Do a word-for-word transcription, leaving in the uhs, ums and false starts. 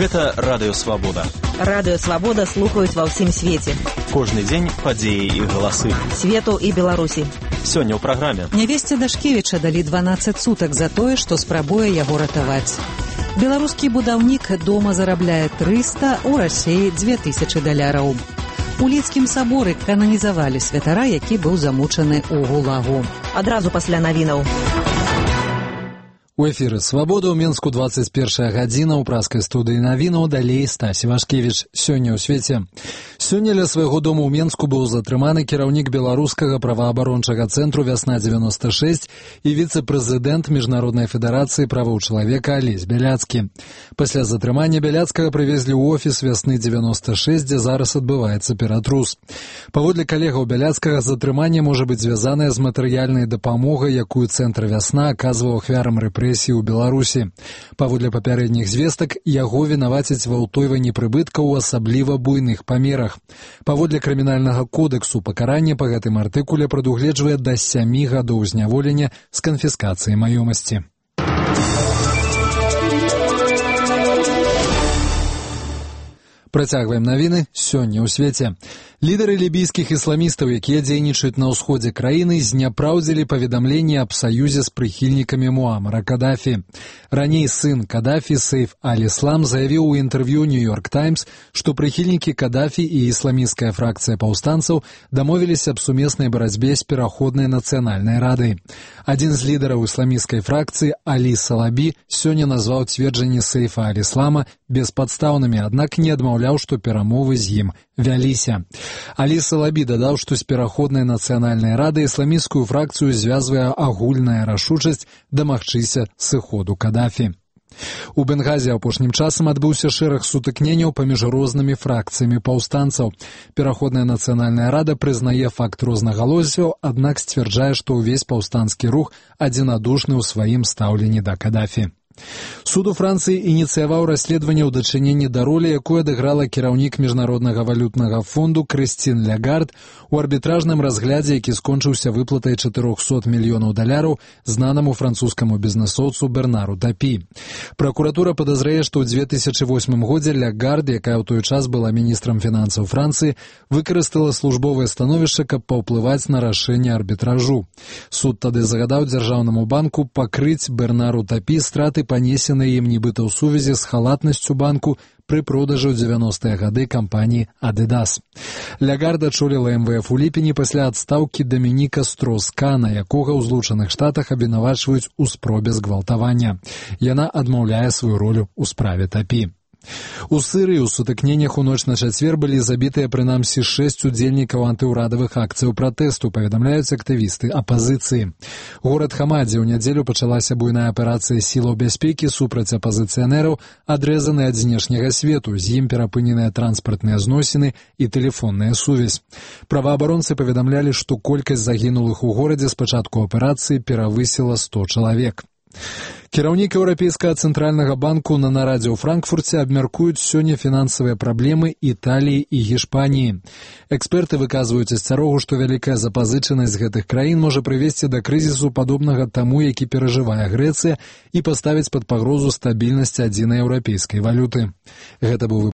Гэта Радыё Свабода. Радыё Свабода слухаюць ва ўсім свеце. Кожны дзень падзеі і галасы. Свету і Беларусі. Сёння ў праграме. Нявесце Дашкевіча далі дванаццаць сутак за тое, што спрабуе яго ратаваць. Беларускі будаўнік дома зарабляе трыста, у Расіі дзве тысячы даляраў. У Лідскім саборы кананізавалі святара, які быў замучаны ў гулагу. Адразу пасля навінаў. У эфіры «Свабода» ў Менску дваццаць першая гадзіна, ў праскай студыі навінаў, далей Стась Івашкевіч. Сёння ў свеце. Сёння ля свайго дому ў Менску быў затрыманы кіраўнік беларускага праваабарончага цэнтру «Вясна дзевяносто шэсць» і віцэ-прэзідэнт Міжнароднай федэрацыі правоў чалавека Алесь Бяляцкі. Пасля затрымання Бяляцкага прывезлі ў офіс «Вясны дзевяносто шэсць», дзе зараз адбываецца ператрус. Паводле калегаў Бяляцкага, затрыманне можа быць звязанае з матэрыяльнай дапамогай, якую цэнтр «Вясна» аказваў ахвярам рэпрэсій у Беларусі. Паводле папярэдніх звестак, яго вінавацяць ва ўтойванні прыбыткаў у асабліва буйных памерах. Паводле крымінальнага кодэксу пакаранне па гэтым артыкуле прадугледжвае да сямі гадоў зняволення з канфіскацыяй маёмасці. Працягваем навіны сёння ў свеце. Лідары лібійскіх ісламістаў, якія дзейнічаюць на ўсходзе краіны, зняпраўдзілі паведамленне аб саюзе з прыхільнікамі Муамара Кадафі. Раней сын Кадафі, Сейф аль-Іслам, заявіў у інтэрв'ю «Нью-Йорк Таймс», што прыхільнікі Кадафі і ісламісцкая фракцыя паўстанцаў дамовіліся аб сумеснай барацьбе з пераходнай нацыянальнай радай. Адзін з лідараў ісламісцкай фракцыі, Алі Салабі, сёння назваў цверджанні Сейфа аль-Іслама беспадстаўнымі, аднак не адмаўляў, што перамовы з ім вяліся. Алі Салабі дадаў, што з пераходнай нацыянальнай рады ісламісцкую фракцыю звязвае агульная рашучасць дамагчыся сыходу Кадафі. У Бенгазі апошнім часам адбыўся шэраг сутыкненняў паміж рознымі фракцыямі паўстанцаў. Пераходная нацыянальная рада прызнае факт рознагалоссяў, аднак сцвярджае, што ўвесь паўстанскі рух адзінадушны ў сваім стаўленні да Кадафі. Суд у Францыі ініцыяваў расследаванне ў дачыненні да ролі, якую адыграла кіраўнік Міжнароднага валютнага фонду Крыстин Лягард у арбітражным разглядзе, які скончыўся выплатай чатырохсот мільёнаў даляраў знанаму французскаму бізнэсоўцу Бернару Тапі. Пракуратура падазрае, што ў дзве тысячы восьмым годзе Лягард, якая ў той час была міністрам фінансаў Францыі, выкарыстала службовае становішча, каб паўплываць на рашэнне арбітражу. Суд тады загадаў дзяржаўнаму банку пакрыць Бернару Тапі страты, панесеныя ім нібыта ў сувязі з халатнасцю банку пры продажы ў дзевяностыя гады кампаніі «Адыдас». Лягард ачоліла эм вэ эф у ліпені пасля адстаўкі Дамініка Строс-Кана, якога ў Злучаных Штатах абвінавачваюць у спробе згвалтавання. Яна адмаўляе сваю ролю ў справе Тапі. У Сырыі ў сутыкненнях у ноч на чацвер былі забітыя прынамсі шэсць удзельнікаў антыўрадавых акцыяў пратэсту, паведамляюць актывісты апазіцыі. Горад Хамадзе ў нядзелю пачалася буйная аперацыя сілаў бяспекі супраць апазіцыянераў, адрэзаны ад знешняга свету, з ім перапыненыя транспартныя зносіны і тэлефонная сувязь. Праваабаронцы паведамлялі, што колькасць загінулых у горадзе з пачатку аперацыі перавысіла сто чалавек. Кіраўнік Еўрапейскага цэнтральнага банку на нарадзе ў Франкфурце абмяркуюць сёння фінансавыя праблемы Італіі і Гішпаніі. Эксперты выказваюць асцярогу, што вялікая запазычанасць гэтых краін можа прывесці да крызісу падобнага таму, які перажывае Грэцыя, і паставіць пад пагрозу стабільнасць адзінай еўрапейскай валюты. Гэта быў